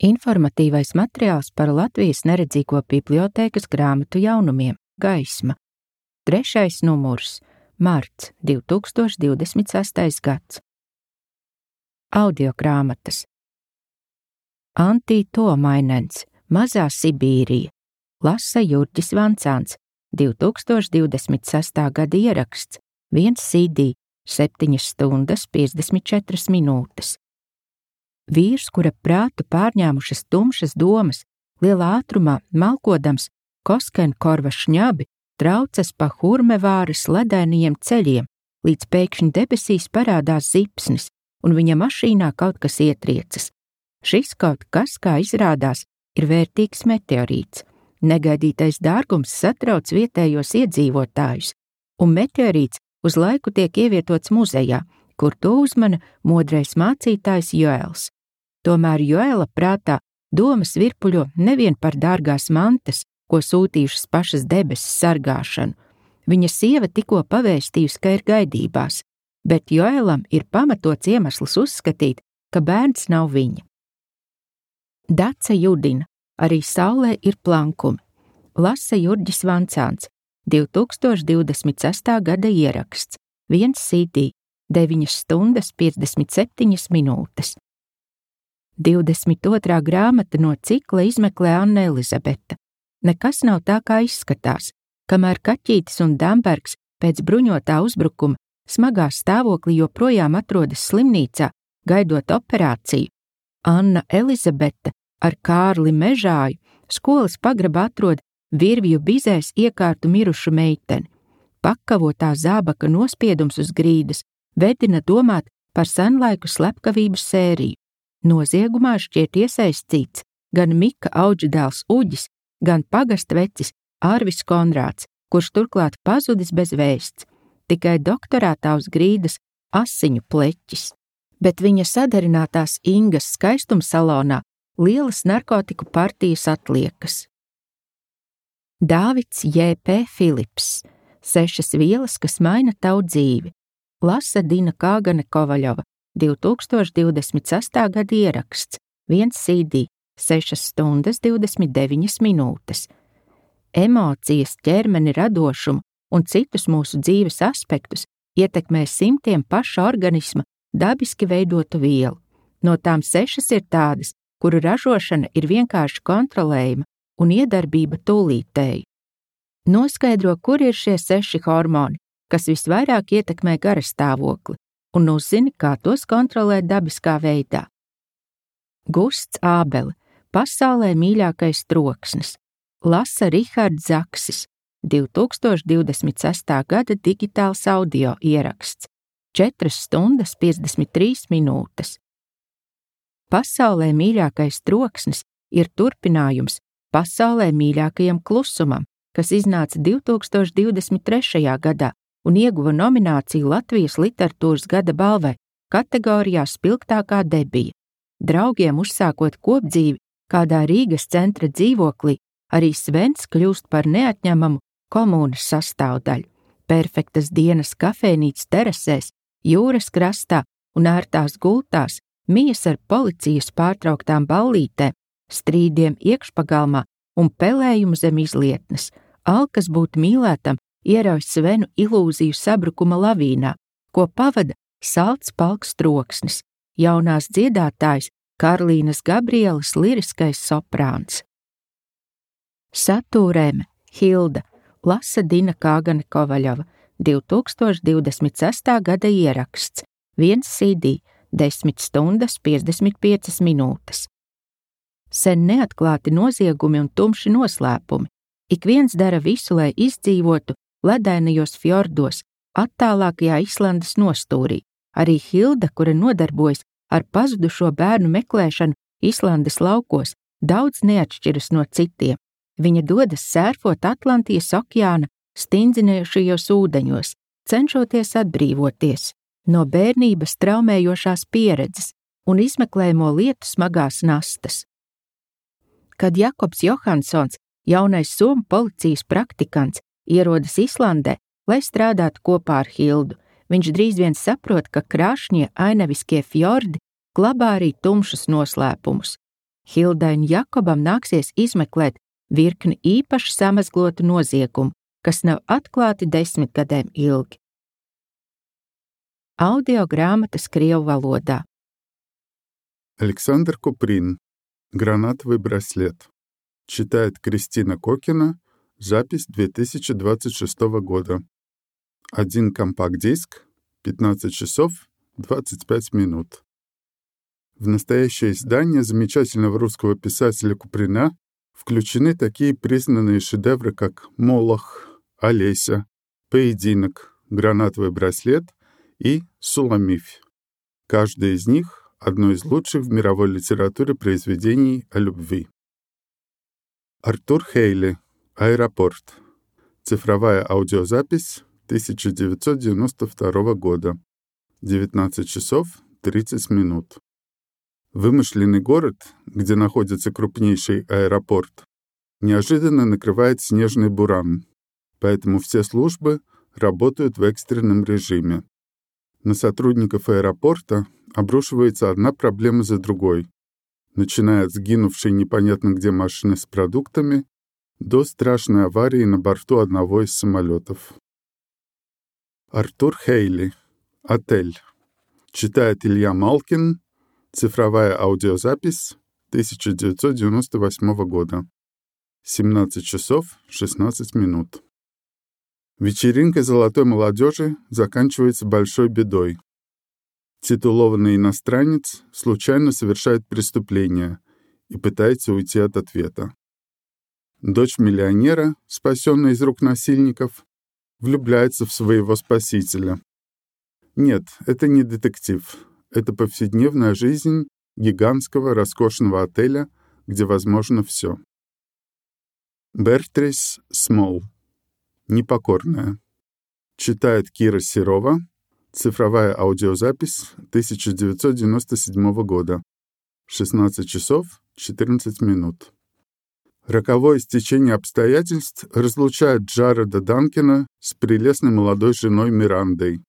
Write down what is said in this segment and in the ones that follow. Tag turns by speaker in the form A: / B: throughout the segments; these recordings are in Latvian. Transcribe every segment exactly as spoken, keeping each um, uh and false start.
A: Informatīvais materiāls par Latvijas neredzīgo bibliotēkas grāmatu jaunumiem Gaisma. Trešais numurs Marts divi tūkstoši divdesmit sestais gads. Audiogrāmatas. Antī Tuomainens, Mazā Sibīrija. Lasa Jurģis Vancāns, divi tūkstoši divdesmit sestā gada ieraksts, viens C D, septiņas stundas piecdesmit četras minūtes. Vīrs, kura prātu pārņēmušas tumšas domas, lielā ātrumā malkodams Koskenkorva šņabi, traucas pa Hurmevāras ledainajiem ceļiem, līdz pēkšņi debesīs parādās zipsnis, un viņa mašīnā kaut kas ietriecas. Šis kaut kas, kā izrādās, ir vērtīgs meteorīts. Negaidītais dārgums satrauc vietējos iedzīvotājus, un meteorīts uz laiku tiek ievietots muzejā, kur to uzmana modrais mācītājs Joels. Tomēr Joela prātā domas virpuļo nevien par dārgās mantas, ko sūtījušas pašas debesis sargāšanu. Viņa sieva tikko pavēstījusi, ka ir gaidībās, bet Joelam ir pamatots iemesls uzskatīt, ka bērns nav viņa. Dace judina, arī saulē ir plankumi. Lasa Jurģis Vancāns, divi tūkstoši divdesmit sestā gada ieraksts, viens C D, deviņas stundas piecdesmit septiņas minūtes. Divdesmit otrā grāmata no cikla izmeklē Anna Elizabete. Nekas nav tā, kā izskatās. Kamēr Kaķītis un Dambergs pēc bruņotā uzbrukuma smagā stāvoklī joprojām atrodas slimnīcā, gaidot operāciju, Anna Elizabete ar Kārli Mežāju skolas pagrabā atrod virvju bizēs iekārtu mirušu meiteni. Pakavotā zābaka nospiedums uz grīdas vedina domāt par senlaiku slepkavību sēriju. Noziegumā šķiet iesaistīts gan Mika Audždēls Uģis, gan pagastvecis Ārvis Konrāds, kurš turklāt pazudis bez vēsts, tikai doktorātā uz grīdas asiņu pleķis. Bet viņa sadarinātās Ingas skaistumsalonā lielas narkotiku partijas atliekas. Dāvids J P Filips, Sešas vielas, kas maina tavu dzīvi. Lasa Dina Kāgane Kovaļova, divi tūkstoši divdesmit sestā gada ieraksts, viens C D, sešas stundas divdesmit deviņas minūtes. Emocijas, ķermeni, radošumu un citus mūsu dzīves aspektus ietekmē simtiem paša organisma dabiski veidotu vielu. No tām sešas ir tādas, kuru ražošana ir vienkārši kontrolējama un iedarbība tūlītēji. Noskaidro, kur ir šie seši hormoni, kas visvairāk ietekmē garastāvokli, un uzzini, kā tos kontrolēt dabiskā veidā. Gusts Ābele, pasaulē mīļākais troksnis. Lasa Rihards Zaksis, divi tūkstoši divdesmit sestā gada digitāls audio ieraksts, četras stundas piecdesmit trīs minūtes. Pasaulē mīļākais troksnis ir turpinājums pasaulē mīļākajam klusumam, kas iznāca divi tūkstoši divdesmit trešajā gadā un ieguva nomināciju Latvijas literatūras gada balvai kategorijā spilgtākā debija. Draugiem uzsākot kopdzīvi kādā Rīgas centra dzīvoklī, arī Svens kļūst par neatņemamu komunas sastāvdaļu. Perfektas dienas kafejnīcas terasēs, jūras krastā un ērtās gultās, mijas ar policijas pārtrauktām ballītēm, strīdiem iekšpagalmā un pelējumu zem izlietnes. Alkas būt mīlētam ierauj Svenu ilūziju sabrukuma lavīnā, ko pavada salds palks troksnis, jaunās dziedātājs Karlīnas Gabrielas liriskais soprāns. Satūrēme Hilda, Lasa Dina Kāgane Kovaļova, divi tūkstoši divdesmit sestā gada ieraksts, viens C D, desmit stundas piecdesmit piecas minūtes. Sen neatklāti noziegumi un tumši noslēpumi. Ik viens dara visu, lai izdzīvotu ledainajos fjordos, attālākajā Islandes nostūrī. Arī Hilda, kura nodarbojas ar pazudušo bērnu meklēšanu Islandes laukos, daudz neatšķiras no citiem. Viņa dodas sērfot Atlantijas okeāna stingzinējušajos ūdeņos, cenšoties atbrīvoties no bērnības traumējošās pieredzes un izmeklējamo lietu smagās nastas. Kad Jakobs Johansons, jaunais somu policijas praktikants, ierodas Islandē, lai strādātu kopā ar Hildu, viņš drīz vien saprot, ka krāšņie ainaviskie fjordi glabā arī tumšus noslēpumus. Hildai un Jakobam nāksies izmeklēt virkni īpaši samazglotu noziegumu, kas nav atklāti desmitgadēm ilgi. Audio grāmatas krievu valodā.
B: Александр Куприн. Гранатовый браслет. Читает Кристина Кокина. Запись две тысячи двадцать шестого года. Один компакт-диск. пятнадцать часов двадцать пять минут. В настоящее издание замечательного русского писателя Куприна включены такие признанные шедевры, как «Молох», «Олеся», «Поединок», «Гранатовый браслет» и «Суламифь». Каждый из них — одно из лучших в мировой литературе произведений о любви. Артур Хейли. «Аэропорт». Цифровая аудиозапись тысяча девятьсот девяносто второго года. девятнадцать часов тридцать минут. Вымышленный город, где находится крупнейший аэропорт, неожиданно накрывает снежный буран, поэтому все службы работают в экстренном режиме. На сотрудников аэропорта обрушивается одна проблема за другой, начиная от сгинувшей непонятно где машины с продуктами до страшной аварии на борту одного из самолетов. Артур Хейли. «Отель». Читает Илья Малкин. Цифровая аудиозапись тысяча девятьсот девяносто восьмого года. семнадцать часов шестнадцать минут. Вечеринка золотой молодежи заканчивается большой бедой. Титулованный иностранец случайно совершает преступление и пытается уйти от ответа. Дочь миллионера, спасенная из рук насильников, влюбляется в своего спасителя. Нет, это не детектив. Это повседневная жизнь гигантского роскошного отеля, где возможно все. Бертрис Смол. «Непокорная». Читает Кира Серова. Цифровая аудиозапись тысяча девятьсот девяносто седьмого года. шестнадцать часов четырнадцать минут. Роковое стечение обстоятельств разлучает Джареда Данкина с прелестной молодой женой Мирандой.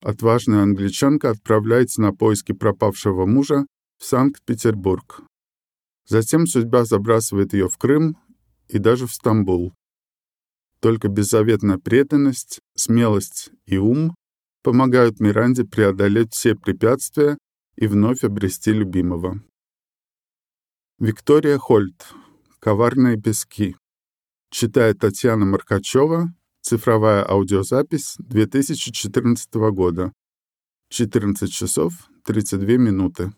B: Отважная англичанка отправляется на поиски пропавшего мужа в Санкт-Петербург. Затем судьба забрасывает ее в Крым и даже в Стамбул. Только беззаветная преданность, смелость и ум помогают Миранде преодолеть все препятствия и вновь обрести любимого. Виктория Хольт. «Коварные пески». Читает Татьяна Маркачева. Цифровая аудиозапись две тысячи четырнадцатого года. четырнадцать часов тридцать две минуты.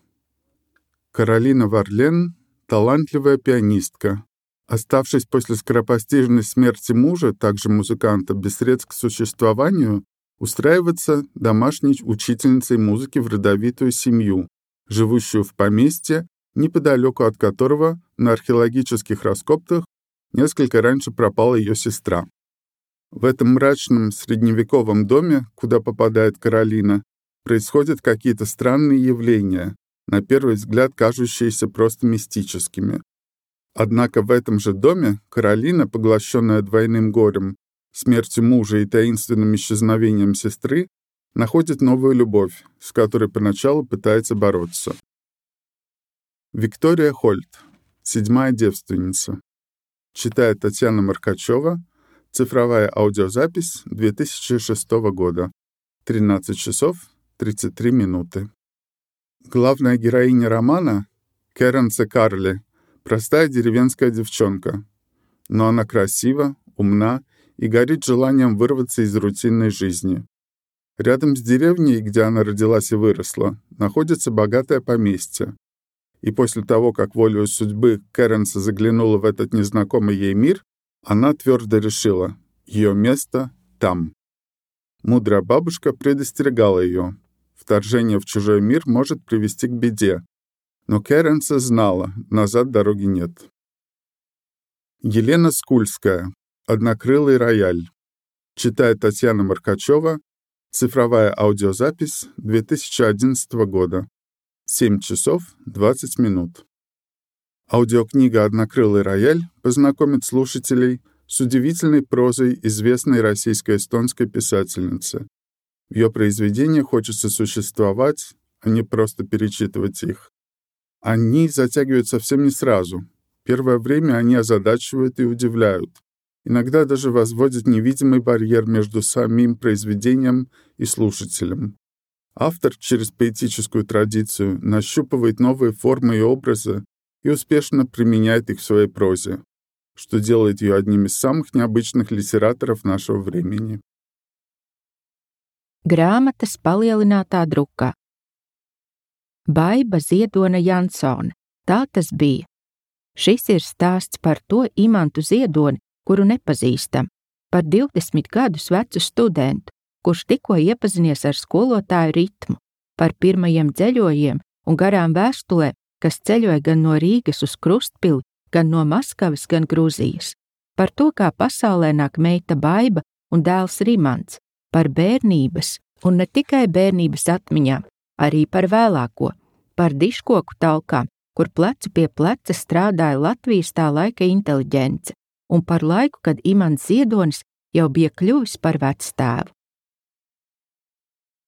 B: Каролина Варлен — талантливая пианистка. Оставшись после скоропостижной смерти мужа, также музыканта, без средств к существованию, устраивается домашней учительницей музыки в родовитую семью, живущую в поместье, неподалеку от которого на археологических раскопках несколько раньше пропала ее сестра. В этом мрачном средневековом доме, куда попадает Каролина, происходят какие-то странные явления, на первый взгляд кажущиеся просто мистическими. Однако в этом же доме Каролина, поглощенная двойным горем, смертью мужа и таинственным исчезновением сестры, находит новую любовь, с которой поначалу пытается бороться. Виктория Хольт. «Седьмая девственница». Читает Татьяна Маркачева. Цифровая аудиозапись две тысячи шестого года. тринадцать часов тридцать три минуты. Главная героиня романа — Керенсе Карли, простая деревенская девчонка. Но она красива, умна и горит желанием вырваться из рутинной жизни. Рядом с деревней, где она родилась и выросла, находится богатое поместье. И после того, как волею судьбы Керенсе заглянула в этот незнакомый ей мир, она твердо решила — ее место там. Мудрая бабушка предостерегала ее. Вторжение в чужой мир может привести к беде. Но Керенсе знала, назад дороги нет. Елена Скульская. «Однокрылый рояль». Читает Татьяна Маркачева. Цифровая аудиозапись две тысячи одиннадцатого года. семь часов двадцать минут. Аудиокнига «Однокрылый рояль» познакомит слушателей с удивительной прозой известной российско-эстонской писательницы. В ее произведениях хочется существовать, а не просто перечитывать их. Они затягивают совсем не сразу. Первое время они озадачивают и удивляют. Иногда даже возводят невидимый барьер между самим произведением и слушателем. Автор через поэтическую традицию нащупывает новые формы и образы и успешно применяет их в своей прозе, что делает ее одним из самых необычных литераторов нашего времени.
A: Grāmatas palielinātā drukā. Baiba Ziedona Jansone. Tā tas bija. Šis ir stāsts par to Imantu Ziedoni, kuru nepazīstam, par divdesmit gadus vecu studentu, kurš tikko iepazinies ar skolotāju ritmu, par pirmajiem ceļojiem un garām vēstulēm, kas ceļoja gan no Rīgas uz Krustpili, gan no Maskavas, gan Gruzijas, par to, kā pasaulē nāk meita Baiba un dēls Rimants, par bērnības un ne tikai bērnības atmiņām, arī par vēlāko, par diškoku talkām, kur plecu pie pleca strādāja Latvijas tā laika inteliģence, un par laiku, kad Imants Ziedonis jau bija kļuvis par vectēvu.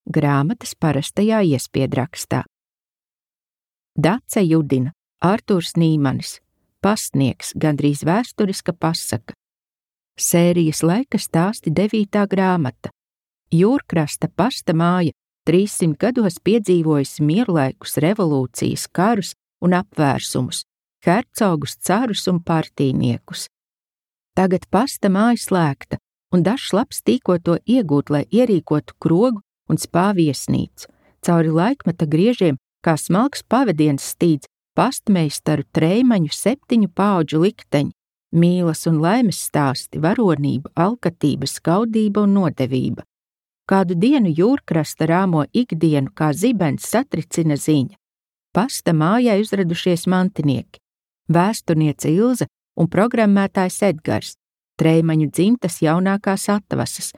A: Grāmatas parastajā iespiedrakstā. Dace Judina, Artūrs Nīmanis, Pastnieks, gandrīz vēsturiska pasaka. Sērijas laika stāsti devītā grāmata. Jūrkrasta pasta māja trīssimt gados piedzīvojusi mierlaikus, revolūcijas, karus un apvērsumus, hercogus, carus un partīniekus. Tagad pasta māja slēgta, un dažs labs tīko to iegūt, lai ierīkotu krogu un spāviesnīcu. Cauri laikmeta griežiem, kā smalks pavadiens stīdz pastmeistaru Treimaņu septiņu paudžu likteņi, mīlas un laimes stāsti, varonība, alkatība, skaudība un nodevība. Kādu dienu Jūrkrasta rāmo ikdienu, kā zibens satricina ziņa. Pasta mājai uzradušies mantinieki, vēsturniece Ilze un programmētājs Edgars, Treimaņu dzimtas jaunākās atvasas.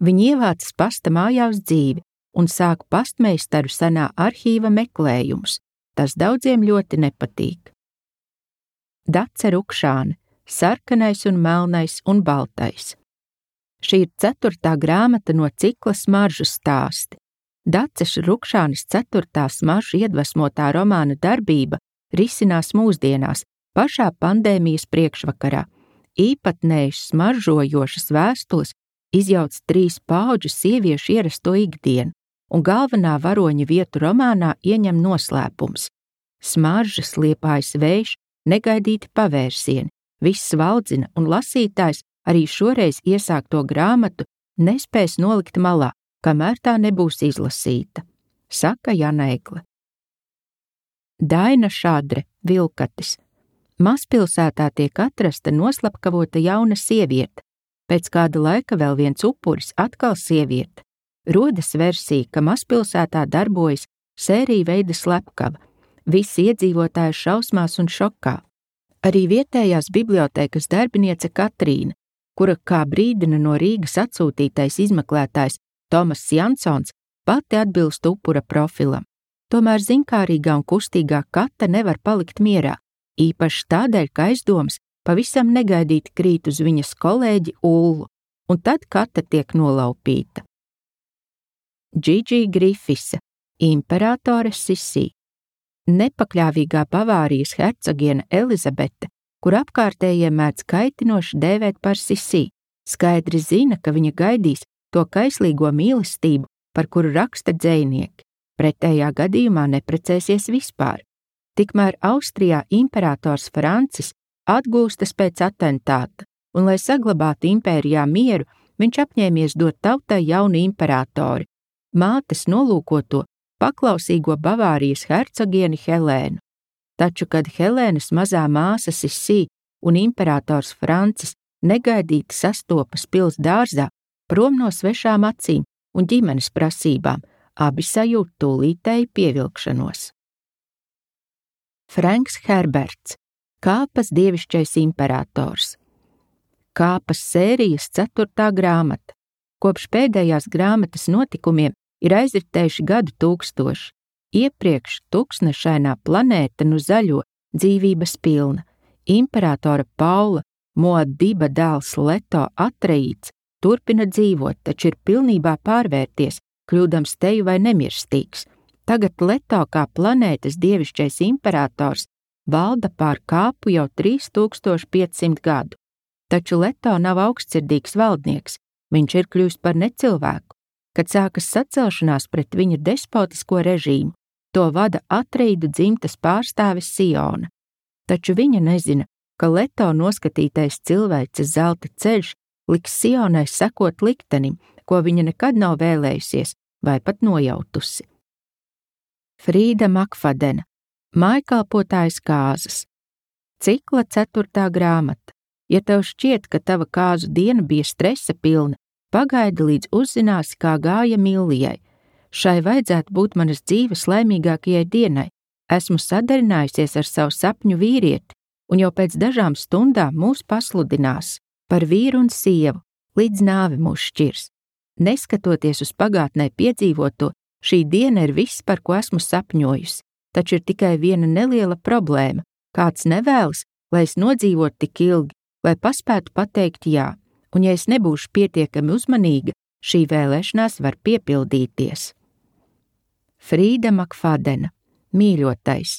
A: Viņi ievācas pasta mājā uz dzīvi un sāk pastmeistaru senā arhīva meklējumus. Tas daudziem ļoti nepatīk. Dace Rukšāne, sarkanais un melnais un baltais. Šī ir ceturtā grāmata no cikla Smaržu stāsti. Daces Rukšānes ceturtā smaržu iedvesmotā romāna darbība risinās mūsdienās, pašā pandēmijas priekšvakarā. Īpatnējas smaržojošas vēstules izjauc trīs paudžu sieviešu ierasto ikdienu, un galvenā varoņa vietu romānā ieņem noslēpums. Smaržas, liepājas vējš, negaidīti pavērsieni, viss valdzina, un lasītājs arī šoreiz iesākto grāmatu nespēs nolikt malā, kamēr tā nebūs izlasīta, saka Jana Egle. Daina Šadre, Vilkatis. Mazpilsētā tiek atrasta noslapkavota jauna sieviete, pēc kāda laika vēl viens upuris, atkal sieviete. Rodas versija, ka mazpilsētā darbojas sērija veida slepkava, visi iedzīvotāji šausmās un šokā. Arī vietējās bibliotēkas darbiniece Katrīna, kura kā brīdina no Rīgas atsūtītais izmeklētājs Tomas Jansons, pati atbilst upura profilam. Tomēr zinkārīgā un kustīgā Kata nevar palikt mierā, īpaši tādēļ, ka aizdomas pavisam negaidīti krīt uz viņas kolēģi Ullu, un tad Kata tiek nolaupīta. Džidži Grifisa, imperatore Sisī. Nepakļāvīgā Bavārijas hercogiene Elizabete, kur apkārtējie mēdz kaitinoši dēvēt par Sisī, skaidri zina, ka viņa gaidīs to kaislīgo mīlestību, par kuru raksta dzejnieki. Pretējā gadījumā neprecēsies vispār. Tikmēr Austrijā imperators Francis atgūstas pēc atentāta, un, lai saglabātu impērijā mieru, viņš apņēmies dot tautai jaunu imperatori, mātes nolūkoto paklausīgo Bavārijas hercogieni Helēnu. Taču, kad Helēnas mazā māsa Sisī un imperators Francis negaidīti sastopas pils dārzā, prom no svešām acīm un ģimenes prasībām, abi sajūt tūlītēju pievilkšanos. Franks Herberts, Kāpas dievišķais imperators. Kāpas sērijas ceturtā grāmata. Kopš pēdējās grāmatas notikumiem ir aizritējuši gadu tūkstoši. Iepriekš tuksnešainā planēta nu zaļo, dzīvības pilna. Imperatora Paula, Moadiba dēls Leto Atreīts, turpina dzīvot, taču ir pilnībā pārvērties, kļūdams teju vai nemirstīgs. Tagad Leto kā planētas dievišķais imperators valda pār kāpu jau trīs tūkstoši piecsimt gadu. Taču Leto nav augstsirdīgs valdnieks, viņš ir kļūst par necilvēku. Kad sākas sacelšanās pret viņa despotisko režīmu, to vada Atrīdu dzimtas pārstāvis Siona. Taču viņa nezina, ka Leto noskatītais cilvēces zelta ceļš liks Sionai sekot liktenim, ko viņa nekad nav vēlējusies vai pat nojautusi. Frīda Makfadena, mājkalpotājs kāzas. Cikla ceturtā grāmata. Ja tev šķiet, ka tava kāzu diena bija stresa pilna, pagaidi līdz uzzināsi, kā gāja Millijai. Šai vajadzētu būt manas dzīves laimīgākajai dienai. Esmu sadarinājusies ar savu sapņu vīrieti, un jau pēc dažām stundām mūs pasludinās par vīru un sievu, līdz nāve mūs šķirs. Neskatoties uz pagātnē piedzīvoto, šī diena ir viss, par ko esmu sapņojusi, taču ir tikai viena neliela problēma. Kāds nevēlas, lai es nodzīvotu tik ilgi, lai paspētu pateikt jā, un ja es nebūšu pietiekami uzmanīga, šī vēlēšanās var piepildīties. Frīda Makfadena, mīļotais.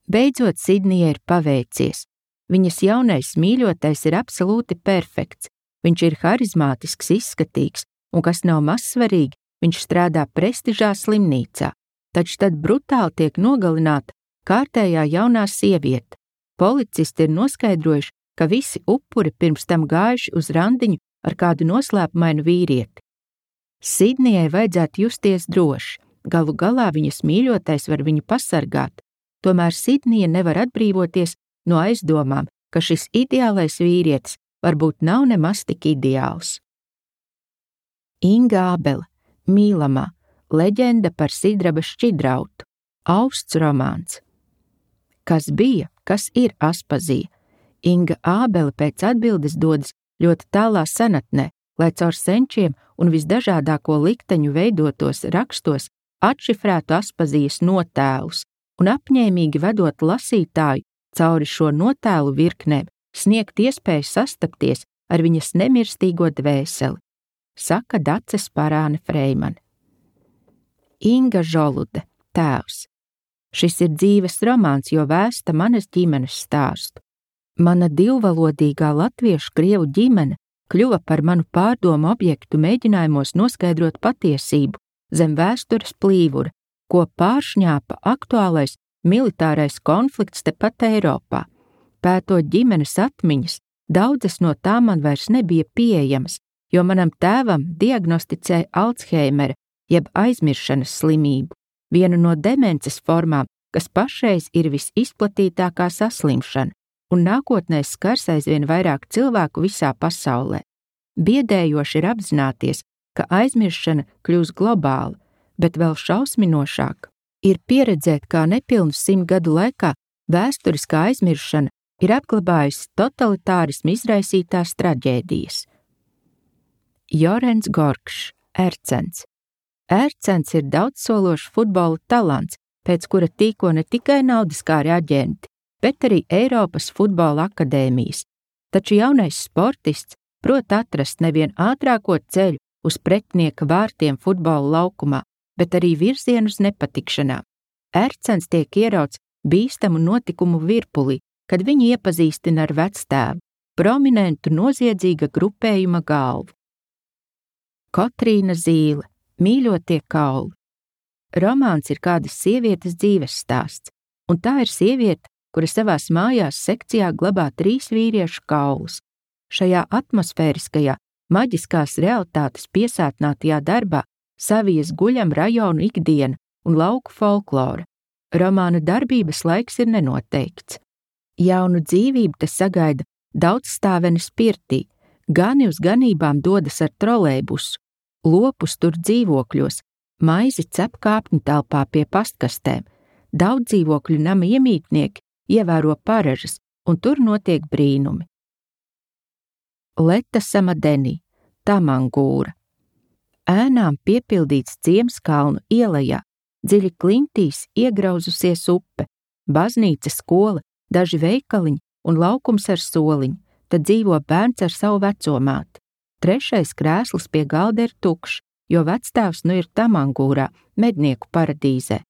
A: Beidzot Sidnijai ir paveicies. Viņas jaunais mīļotais ir absolūti perfekts. Viņš ir harizmātisks, izskatīgs, un kas nav mazsvarīgi, viņš strādā prestižā slimnīcā, taču tad brutāli tiek nogalināta kārtējā jaunā sieviete. Policisti ir noskaidrojuši, ka visi upuri pirms tam gājuši uz randiņu ar kādu noslēpumainu vīrieti. Sidnijai vajadzētu justies droši, galu galā viņas mīļotais var viņu pasargāt, tomēr Sidnija nevar atbrīvoties no aizdomām, ka šis ideālais vīrietis varbūt nav nemaz tik ideāls. Inga Ābele, mīlamā, leģenda par Sidraba šķidrautu, Austs romāns. Kas bija, kas ir Aspazija? Inga Ābele pēc atbildes dodas ļoti tālā senatnē, lai caur senčiem un visdažādāko likteņu veidotos rakstos atšifrētu Aspazijas notēlus un apņēmīgi vedot lasītāju cauri šo notēlu virknēm, sniegt iespēju sastapties ar viņas nemirstīgo dvēseli, saka Dace Sparāne Freimane. Inga Žolude, tēvs. Šis ir dzīves romāns, jo vēsta manas ģimenes stāstu. Mana divvalodīgā latviešu krievu ģimene kļuva par manu pārdomu objektu mēģinājumos noskaidrot patiesību zem vēstures plīvura, ko pāršņāpa aktuālais militārais konflikts tepat Eiropā. Pētot ģimenes atmiņas, daudzas no tām man vairs nebija pieejamas, jo manam tēvam diagnosticēja Alzheimera jeb aizmiršanas slimību, vienu no demences formām, kas pašreiz ir visizplatītākā saslimšana, un nākotnē skars aizvien vairāk cilvēku visā pasaulē. Biedējoši ir apzināties, ka aizmiršana kļūs globāla, bet vēl šausminošāk ir pieredzēt, kā nepilnu simt gadu laikā vēsturiskā aizmiršana ir apglabājusi totalitārismu izraisītās traģēdijas. Jorens Gorkšs, Ercens. Ercens ir daudzsološs futbola talants, pēc kura tīko ne tikai naudiskāri aģenti, bet arī Eiropas futbola akadēmijas. Taču jaunais sportists prot atrast nevien ātrāko ceļu uz pretinieka vārtiem futbola laukumā, bet arī virzienu uz nepatikšanām. Ercens tiek ierauts bīstamu notikumu virpulī, kad viņu iepazīstina ar vectēvu, prominentu noziedzīga grupējuma galvu. Kotrīna Zīle, Mīļotie kauli. Romāns ir kādas sievietes dzīves stāsts, un tā ir sieviete, kura savās mājās sekcijā glabā trīs vīriešu kaulus. Šajā atmosfēriskajā, maģiskās realitātes piesātnātajā darbā savijas guļam rajonu ikdiena un lauku folklora. Romāna darbības laiks ir nenoteikts. Jaunu dzīvību te sagaida daudzstāvenes pirtī, gani uz ganībām dodas ar trolejbusu, lopus tur dzīvokļos, maizi cep kāpņu telpā pie pastkastēm, daudz dzīvokļu nama iemītnieki ievēro paražas, un tur notiek brīnumi. Leta Samadenī, Tamangūra. Ēnām piepildīts ciems kalnu ielajā, dziļi klintīs iegrauzusies upe, baznīca, skola, daži veikaliņi un laukums ar soliņu, tad dzīvo bērns ar savu vecomāti. Trešais krēsls pie galda ir tukšs, jo vectēvs nu ir Tamangūrā, mednieku paradīzē.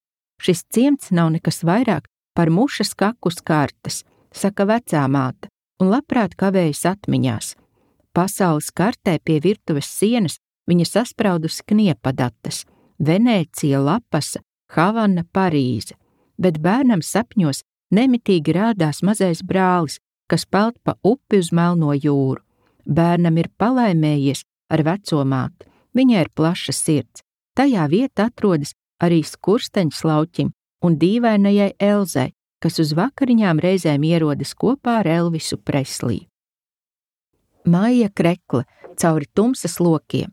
A: Šis ciemats nav nekas vairāk par mušas kakus kartes, saka vecā māte, un labprāt kavējas atmiņās. Pasaules kartē pie virtuves sienas viņa saspraudusi kniepadatas – Venēcija, Lapasa, Havana, Parīze, bet bērnam sapņos nemitīgi rādās mazais brālis, kas peld pa upi uz Melno jūru. Bērnam ir palaimējies ar veco māti, viņai ir plaša sirds. Tajā vieta atrodas arī skursteņš lauķim un dīvainajai Elzai, kas uz vakariņām reizēm ierodas kopā ar Elvisu Preslī. Maija Krekle cauri tumsas lokiem.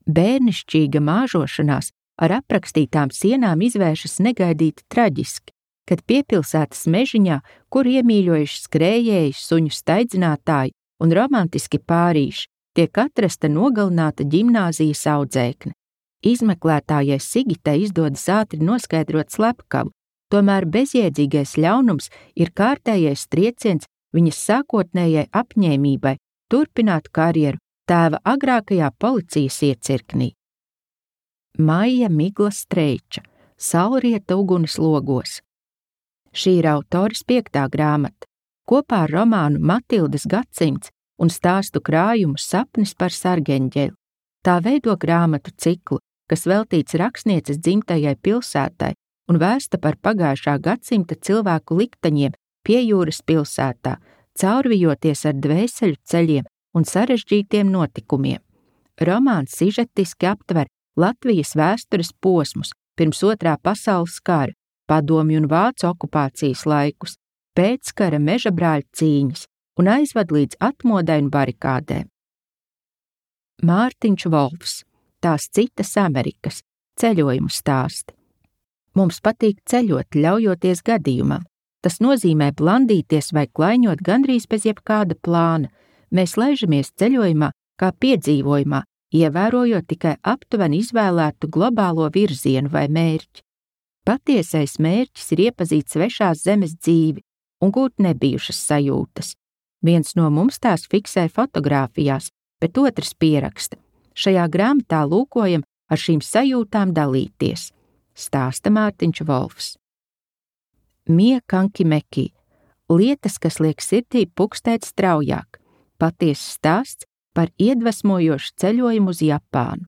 A: Bērnišķīga māžošanās ar aprakstītām sienām izvēršas negaidīti traģiski, kad piepilsētas mežiņā, kur iemīļojuši skrējēji, suņu staidzinātāji un romantiski pārīši, tiek atrasta nogalināta ģimnāzijas audzēkne. Izmeklētājai Sigitai izdodas ātri noskaidrot slepkavu, tomēr bezjēdzīgais ļaunums ir kārtējais trieciens viņas sākotnējai apņēmībai turpināt karjeru tēva agrākajā policijas iecirknī. Maija Migla Streiča, Saulrieta uguns logos. Šī ir autores piektā grāmata. Kopā ar romānu Matildes gadsimts un stāstu krājumu Sapnis par sargeņģeli. Tā veido grāmatu ciklu, kas veltīts rakstnieces dzimtajai pilsētai un vērsta par pagājušā gadsimta cilvēku likteņiem pie jūras pilsētā, caurvijoties ar dvēseļu ceļiem un sarežģītiem notikumiem. Romāns sižetiski aptver Latvijas vēstures posmus pirms otrā pasaules kara, padomju un vācu okupācijas laikus, pēckara mežabrāļu cīņas un aizvad līdz atmodai un barikādēm. Mārtiņš Volfs, tās citas Amerikas, ceļojumu stāsti. Mums patīk ceļot, ļaujoties gadījumam. Tas nozīmē blandīties vai klaiņot gandrīz bez jebkāda plāna. Mēs laižamies ceļojumā kā piedzīvojumā, ievērojot tikai aptuveni izvēlētu globālo virzienu vai mērķi. Patiesais mērķis ir iepazīt svešās zemes dzīvi un gūt nebijušas sajūtas. Viens no mums tās fiksē fotogrāfijās, bet otrs pieraksta. Šajā grāmatā lūkojam ar šīm sajūtām dalīties, stāsta Mārtiņš Volfs. Mia Kankimeki, lietas, kas liek sirdī pukstēt straujāk, patiesas stāsts par iedvesmojošu ceļojumu uz Japānu.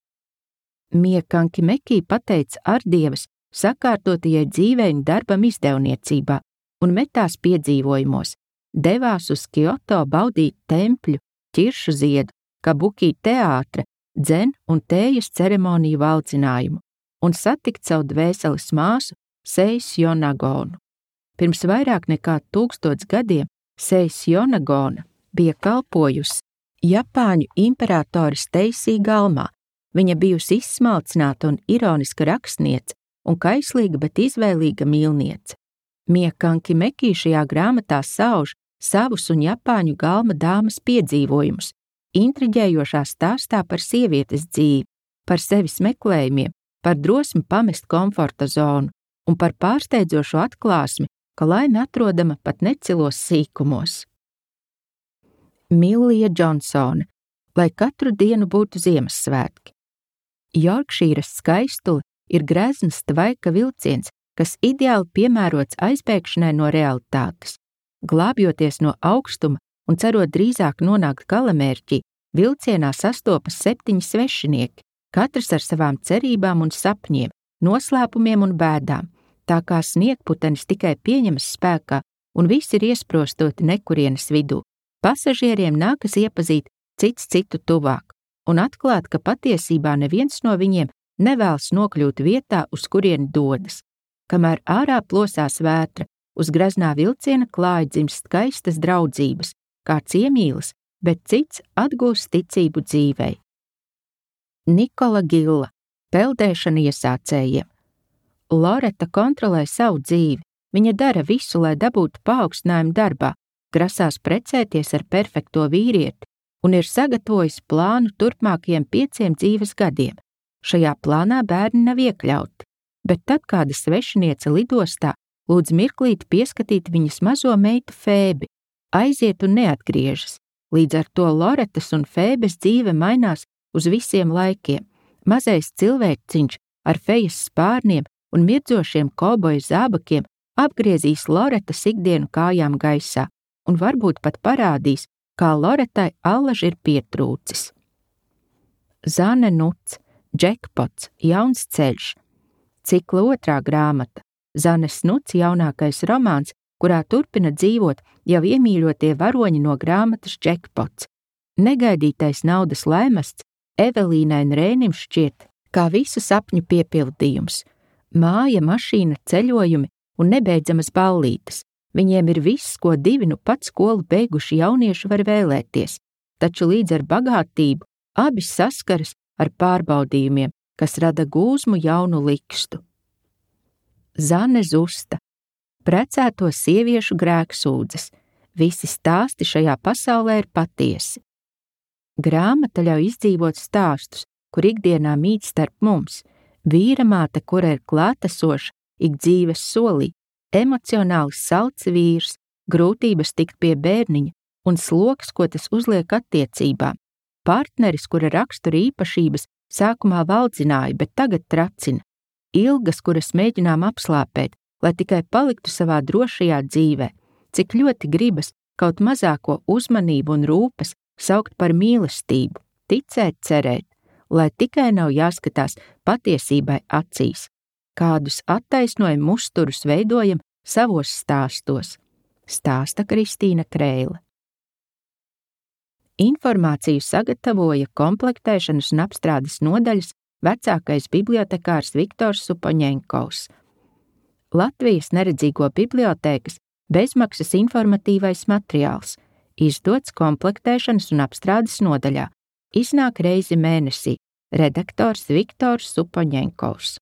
A: Mia Kankimeki pateica Ardievas sakārtotajai dzīvei un darbam izdevniecībā un metās piedzīvojumos, devās uz Kyoto baudīt tempļu, ķiršu ziedu, kabuki teātra, dzen un tējas ceremoniju valdzinājumu un satikt savu dvēseles māsu Seisjo Nagonu. Pirms vairāk nekā tūkstots gadiem Seisjo Nagona bija kalpojusi Japāņu imperatoris Teisī Galmā. Viņa bijusi izsmalcināta un ironiska rakstniece un kaislīga, bet izvēlīga mīlniece. Mia Kankimeki šajā grāmatā sauž savus un Japāņu galma dāmas piedzīvojumus, intriģējošā stāstā par sievietes dzīvi, par sevis meklējumiem, par drosmi pamest komforta zonu un par pārsteidzošo atklāsmi, ka laime atrodama pat necilos sīkumos. Millija Džonsone, lai katru dienu būtu Ziemassvētki. Jorkšīras skaistule ir grezns tvaika vilciens, kas ideāli piemērots aizbēgšanai no realitātes. Glābjoties no augstuma un cerot drīzāk nonākt galamērķī, vilcienā sastopas septiņi svešinieki, katrs ar savām cerībām un sapņiem, noslēpumiem un bēdām, tā kā sniegputenis tikai pieņemas spēkā un visi ir iesprostoti nekurienes vidū. Pasažieriem nākas iepazīt cits citu tuvāk un atklāt, ka patiesībā neviens no viņiem nevēlas nokļūt vietā, uz kurieni dodas. Kamēr ārā plosās vētra, uz graznā vilciena klāja dzimst skaistas draudzības, kāds iemīlas, bet cits atgūst ticību dzīvei. Nikola Gilla, peldēšana iesācējiem. Loreta kontrolē savu dzīvi, viņa dara visu, lai dabūtu paaugstinājumu darbā, grasās precēties ar perfekto vīrieti un ir sagatavojis plānu turpmākajiem pieciem dzīves gadiem. Šajā plānā bērni nav iekļauti, bet tad kāda svešiniece lidostā lūdz mirklīt pieskatīt viņas mazo meitu Fēbi, aiziet un neatgriežas. Līdz ar to Loretas un Fēbes dzīve mainās uz visiem laikiem. Mazais cilvēciņš ar fejas spārniem un mirdzošiem kauboju zābakiem apgriezīs Loretas ikdienu kājām gaisā un varbūt pat parādīs, kā Loretai allaž ir pietrūcis. Zane Nuts, Džekpots, Jauns ceļš. Cikla otrā grāmata. Zanes Nuts jaunākais romāns, kurā turpina dzīvot jau iemīļotie varoņi no grāmatas Džekpots. Negaidītais naudas laimests Evelīnai un Rēnim šķiet kā visu sapņu piepildījums. Māja, mašīna, ceļojumi un nebeidzamas ballītes. Viņiem ir viss, ko divi nu pat skolu beiguši jaunieši var vēlēties, taču līdz ar bagātību abi saskaras ar pārbaudījumiem, kas rada gūzmu jaunu likstu. Zane Zusta. Precēto sieviešu grēksūdzes. Visi stāsti šajā pasaulē ir patiesi. Grāmata ļauj izdzīvot stāstus, kur ikdienā mīt starp mums. Vīramāte, kura ir klātesoša ik dzīves solī, emocionāli salds vīrs, grūtības tikt pie bērniņa un sloks, ko tas uzliek attiecībām. Partneris, kura rakstura īpašības sākumā valdzināja, bet tagad tracina. Ilgas, kuras mēģinām apslāpēt, lai tikai paliktu savā drošajā dzīvē. Cik ļoti gribas kaut mazāko uzmanību un rūpes saukt par mīlestību, ticēt, cerēt, lai tikai nav jāskatās patiesībai acīs. Kādus attaisnojumu uzturus veidojam savos stāstos, stāsta Kristīna Kreile. Informāciju sagatavoja komplektēšanas un apstrādes nodaļas vecākais bibliotekārs Viktors Supoņenkovs. Latvijas neredzīgo bibliotēkas bezmaksas informatīvais materiāls, izdots komplektēšanas un apstrādes nodaļā, iznāk reizi mēnesī, redaktors Viktors Supoņenkovs.